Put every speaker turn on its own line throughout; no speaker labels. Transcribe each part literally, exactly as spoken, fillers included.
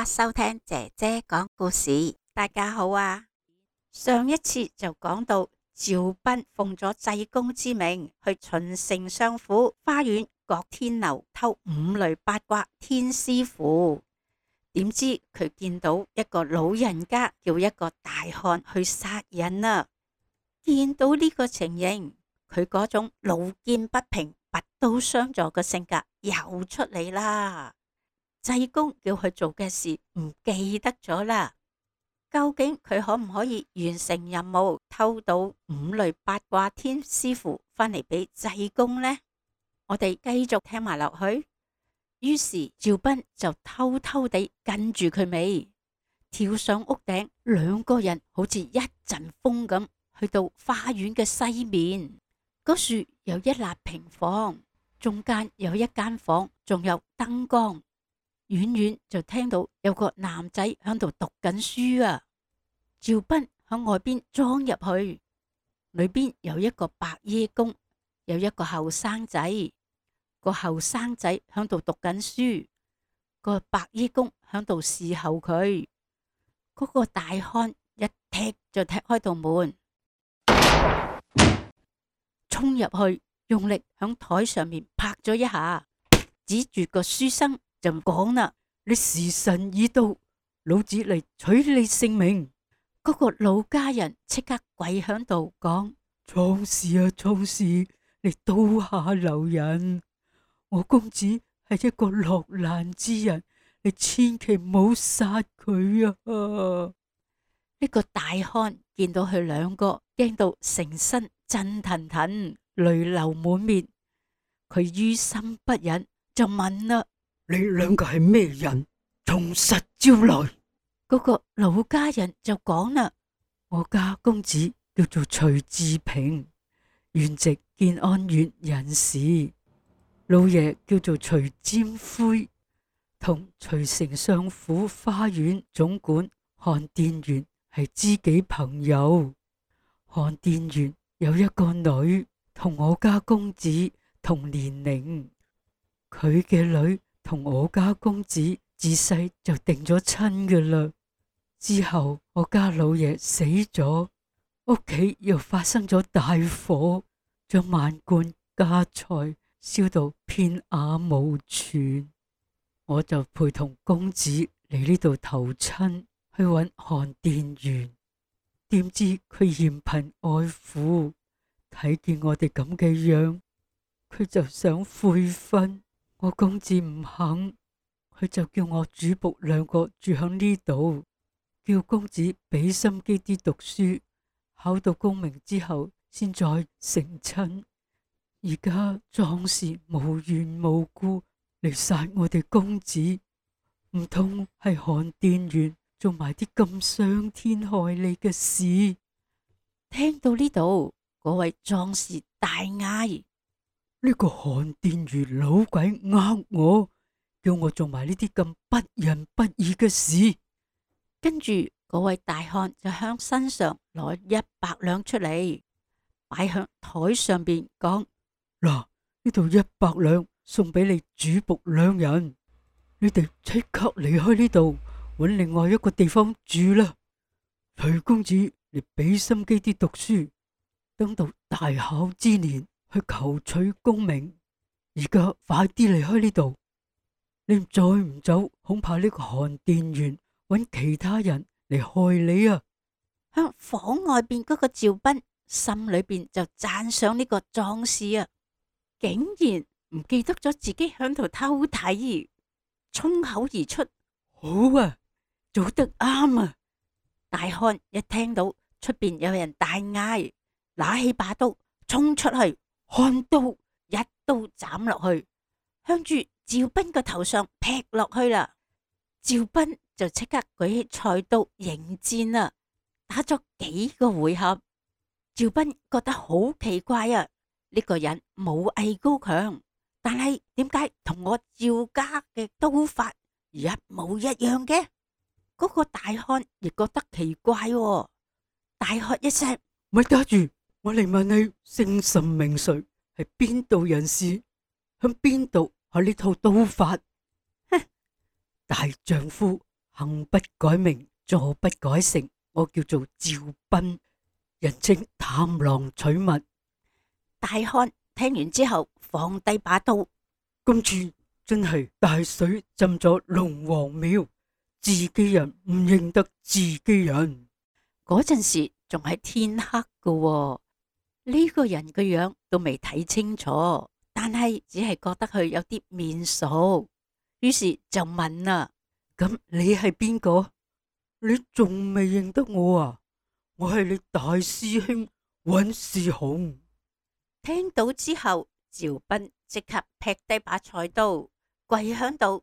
家收聽姐姐講故事。大家好啊！上一次就講到趙斌奉咗濟公之命去秦丞相府花園郭天樓偷五雷八卦天師符，點知佢見到一個老人家叫一個大漢去殺人啊！見到呢個情形，佢嗰種路見不平拔刀相助嘅性格又出嚟啦。濟公叫佢做嘅事唔記得咗啦，究竟佢可唔可以完成任務，偷到五雷八卦天師符返嚟俾濟公呢？我哋繼續聽埋落去。於是趙斌就偷偷地跟住佢尾，跳上屋頂，兩個人好似一陣風咁去到花園嘅西面。嗰樹有一立平房，中間有一間房，仲有燈光。遠遠就聽到有個男仔喺度讀緊書啊！趙斌喺外邊裝入去，裏邊有一個白衣公，有一個後生仔。個後生仔喺度讀緊書，個白衣公喺度侍候佢。嗰個大漢一踢就踢開道門，衝入去，用力響台上面拍咗一下，指住個書生就講啦：你時辰已到，老子嚟取你性命。嗰個老家人即刻跪響度講：壯士啊壯士，你刀下留人，我公子係一個落難之人，你千祈唔好殺佢啊！呢個大漢見到佢兩個，驚到成身震騰騰，淚流滿面。佢於心不忍，就問啦：
你兩個係咩人？從實招來。
嗰個老家人就講啦：我家公子叫做徐志平，原籍建安縣人士。老爺叫做徐占魁，同徐丞相府花園總管韓殿元係知己朋友。韓殿元有一個女，同我家公子同年齡。佢嘅女同我家公子自細就定咗親㗎啦。之後我家老爺死咗，屋企又發生咗大火，將萬貫家財燒到片瓦無存。我就陪同公子嚟呢度投親，去揾韓殿元。點知佢嫌貧愛富，睇見我哋咁嘅樣，佢就想悔婚。我公子唔肯，佢就叫我主僕兩個住響呢度，叫公子俾心機啲讀書，考到功名之後先再成親。而家壯士無緣無故嚟殺我哋公子，唔通係韓殿元做埋啲咁傷天害理嘅事？聽到呢度，嗰位壯士大嗌：
呢個韓殿元老鬼呃我，叫我做埋呢啲咁不仁不義嘅事。
跟住嗰位大漢就向身上攞一百兩出嚟，擺向台上邊講：
嗱，呢度一百兩送俾你主僕兩人，你哋即刻離開呢度，揾另外一個地方住啦。徐公子，你俾心機啲讀書，等到大考之年去求取功名。而家快啲離開呢度，你再唔走，恐怕呢個韓殿元揾其他人嚟害你啊！
向房外邊嗰個趙斌心裏邊就讚賞呢個壯士啊，竟然唔記得咗自己響度偷睇，衝口而出：
好啊，做得啱啊！
大漢一聽到出邊有人大嗌，拿起把刀衝出去，看刀一刀斬落去，向住趙斌個頭上劈落去啦。趙斌就即刻舉起菜刀迎戰啦，打咗幾個回合。趙斌覺得好奇怪啊，呢個人武藝高強，但係點解同我趙家嘅刀法一模一樣嘅？嗰個大漢亦覺得奇怪喎，大喝一聲：
咪打住！我嚟問你姓甚名誰，係邊度人士，響邊度學呢套刀法？
哼！
大丈夫行不改名，坐不改姓，我叫做趙斌，人稱探囊取物。
大漢聽完之後放低把刀，
今次真係大水浸咗龍王廟，自己人唔認得自己人。
嗰陣時仲係天黑噶喎，呢個人嘅樣都未睇清楚，但係只係覺得佢有啲面熟，於是就問啦：
咁你係邊個？你仲未認得我啊？我係你大師兄尹士雄。
聽到之後，趙斌即刻劈低把菜刀，跪響度。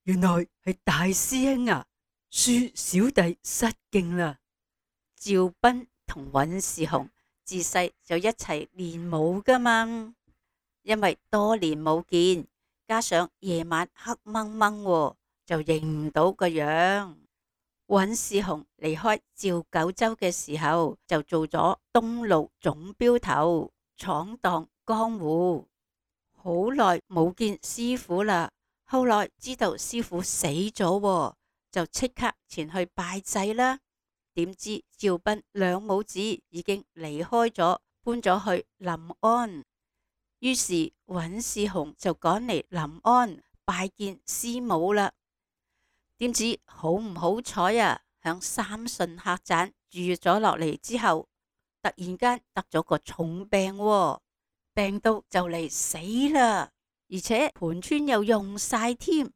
原來係大師兄啊！恕小弟失敬啦。
趙斌同尹士雄自細就一齊練武噶嘛，因為多年冇見，加上夜晚黑掹掹，就認唔到個樣。尹士雄離開趙九州嘅時候，就做咗東路總鏢頭，闖蕩江湖。好耐冇見師傅啦，後來知道師傅死咗，就即刻前去拜祭啦。點知趙斌兩母子已經離開咗，搬咗去臨安。於是尹士雄就趕嚟臨安拜見師母啦。點知好唔好彩啊，響三順客棧住咗落嚟之後，突然間得咗個重病喎，病到就嚟死啦，而且盤川又用晒添。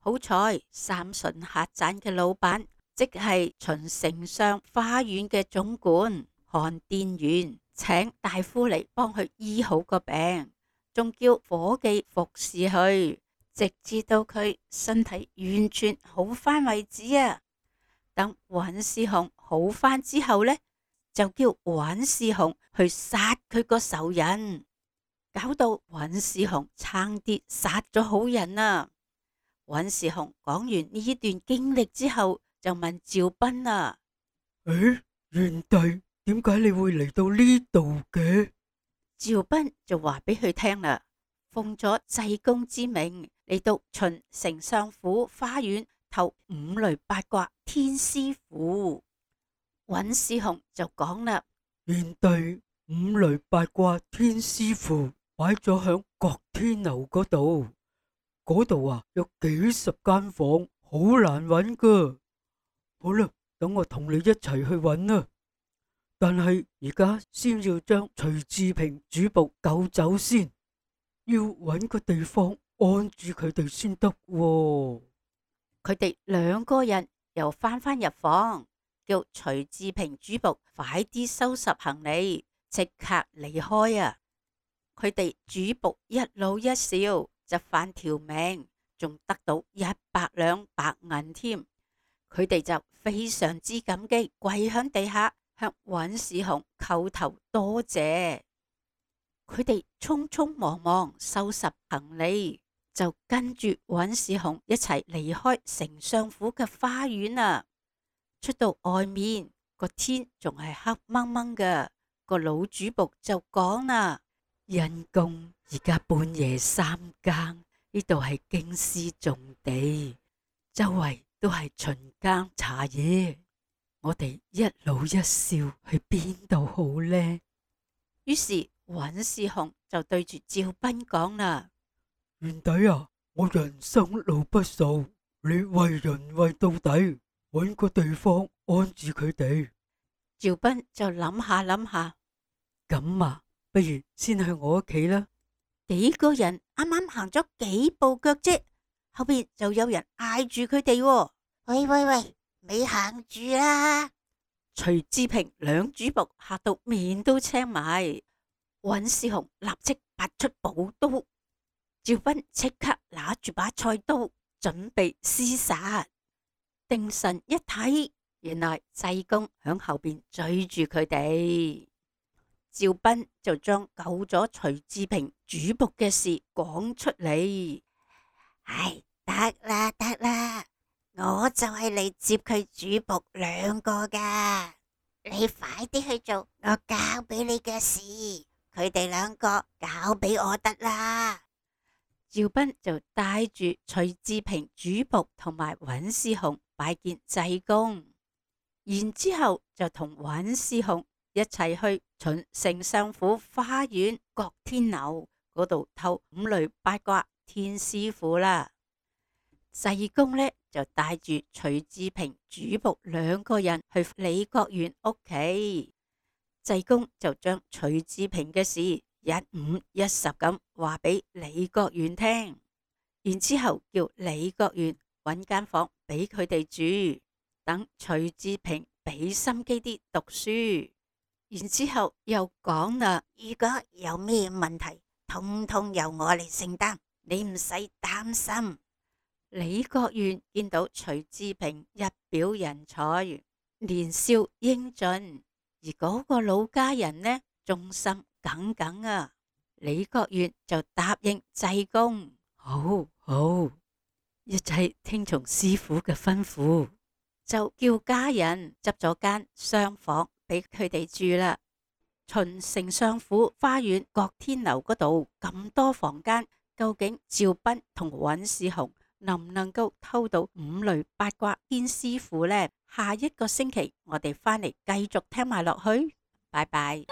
好彩三順客棧嘅老闆，即係秦丞相花園嘅總管韓殿元，請大夫嚟幫佢醫好個病，仲叫伙計服侍佢，直至到佢身體完全好翻為止啊！等尹士雄好翻之後呢，就叫尹士雄去殺佢個仇人，搞到尹士雄差啲殺咗好人啊！尹士雄講完呢段經歷之後，就問趙斌啊：
誒，元弟，點解你會嚟到呢度嘅？
趙斌就話俾佢聽啦，奉咗濟公之命嚟到秦丞相府花園投五雷八卦天師符。尹士雄就講啦：
元弟，五雷八卦天師符擺咗響郭天樓嗰度，嗰度啊有幾十間房，好難揾噶。好啦，等我同你一齊去揾啦。但係而家先要將徐志平主僕救走先，要揾個地方安住佢哋先得喎。
佢哋兩個人又翻返入房，叫徐志平主僕快啲收拾行李，即刻離開啊！佢哋主僕一老一少就返條命，仲得到一百兩白銀添。佢哋就非常之感激，跪響地下向尹士雄叩頭多謝。佢哋匆匆忙忙收拾行李，就跟住尹士雄一齊離開丞相府嘅花園啊！出到外面，個天仲係黑掹掹嘅。個老主僕就講啦：
因公而家半夜三更，呢度係京師重地，周圍都係巡更查嘢，我哋一老一少去邊度好呢？
於是尹士雄就對住趙斌講啦：
元弟啊，我人生路不熟，你為人為到底，揾個地方安置佢哋。
趙斌就諗下諗下，
咁啊，不如先去我屋企啦。
幾個人啱啱行咗幾步腳啫，後邊就有人嗌住佢哋：喂喂喂，咪行住啦！徐志平兩主僕嚇到面都青埋，尹士雄立即拔出寶刀，趙斌即刻拿住把菜刀準備廝殺。定神一睇，原來濟公響後邊追住佢哋。趙斌就將救咗徐志平主僕嘅事講出嚟。唉，得啦得啦，我就係嚟接佢主僕兩個噶，你快啲去做我交俾你嘅事，佢哋兩個交俾我得啦。趙斌就帶住徐志平主僕同埋尹士雄拜見濟公，然之後就同尹士雄一齊去秦丞相府花園覺天樓嗰度偷五雷八卦天師符啦。濟公呢就帶住徐志平主僕兩個人去李國元屋企，濟公就將徐志平嘅事一五一十咁話俾李國元聽，然之後叫李國元揾間房俾佢哋住，等徐志平俾心機啲讀書。然之後又講啦，
如果有咩問題，通通由我嚟承擔，你唔使擔心。
李國元見到徐志平一表人才，年少英俊，而嗰個老家人呢，忠心耿耿啊。李國元就答應濟公，
好好，一切聽從師傅嘅吩咐，
就叫家人執咗間廂房俾佢哋住啦。秦丞相府花園覺天樓嗰度咁多房間，究竟趙斌同尹士雄能唔能夠偷到五雷八卦天師符呢？下一個星期我哋翻嚟繼續聽埋落去，拜拜。